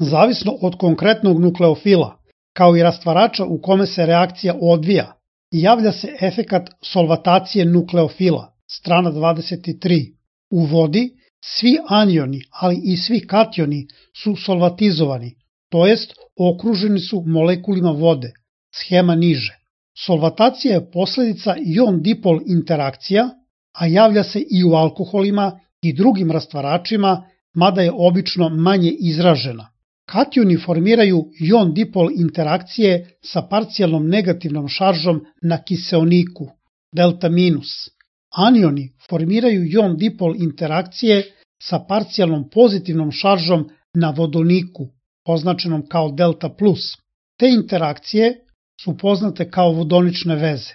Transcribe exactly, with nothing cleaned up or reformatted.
Zavisno od konkretnog nukleofila, kao i rastvarača u kome se reakcija odvija, javlja se efekat solvatacije nukleofila, strana dvadeset tri. U vodi svi anioni, ali i svi kationi su solvatizovani, to jest okruženi su molekulima vode, schema niže. Solvatacija je posledica ion-dipol interakcija, a javlja se i u alkoholima i drugim rastvaračima, mada je obično manje izražena. Kationi formiraju ion-dipol interakcije sa parcijalnom negativnom šaržom na kiseoniku, delta minus. Anioni formiraju ion-dipol interakcije sa parcijalnom pozitivnom šaržom na vodoniku, označenom kao delta plus. Te interakcije su poznate kao vodonične veze.